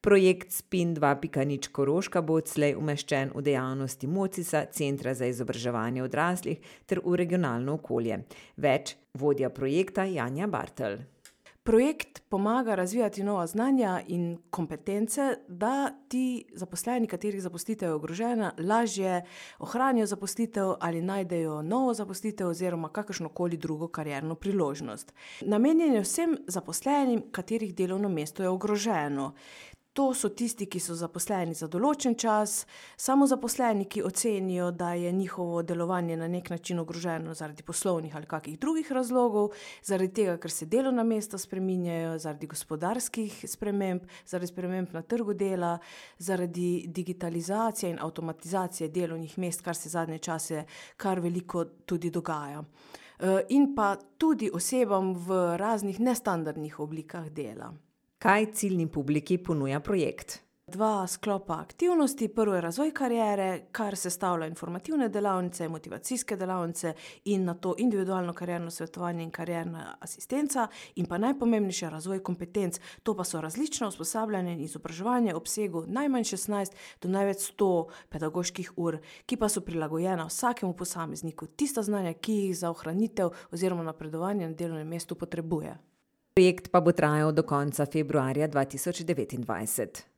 Projekt SPIN 2.0 Koroška bo odslej umeščen v dejavnosti MOCIS-a, Centra za izobraževanje odraslih, ter v regionalno okolje. Več vodja projekta Janja Bartelj. Projekt pomaga razvijati nova znanja in kompetence, da ti zaposleni, katerih zaposlitev je ogrožena, lažje ohranijo zaposlitev ali najdejo novo zaposlitev oziroma kakršnokoli drugo karierno priložnost. Namenjen je vsem zaposlenim, katerih delovno mesto je ogroženo. To so tisti, ki so zaposleni za določen čas, samozaposleni, ki ocenijo, da je njihovo delovanje na nek način ogroženo zaradi poslovnih ali kakih drugih razlogov, zaradi tega, ker se delovna mesta spreminjajo, zaradi gospodarskih sprememb, zaradi sprememb na trgu dela, zaradi digitalizacije in avtomatizacije delovnih mest, kar se zadnje čase kar veliko tudi dogaja. In pa tudi osebam v raznih nestandardnih oblikah dela. Kaj ciljni publiki ponuja projekt? 2 sklopa aktivnosti. Prvo je razvoj kariere, kar sestavlja informativne delavnice, motivacijske delavnice in nato individualno karierno svetovanje in karierna asistenca in pa najpomembnejše razvoj kompetenc. To pa so različna usposabljanja in izobraževanje v obsegu najmanj 16 do največ 100 pedagoških ur, ki pa so prilagojena vsakemu posamezniku, tista znanja, ki jih za ohranitev oziroma napredovanje na delovnem mestu potrebuje. Projekt pa bo trajal do konca februarja 2029.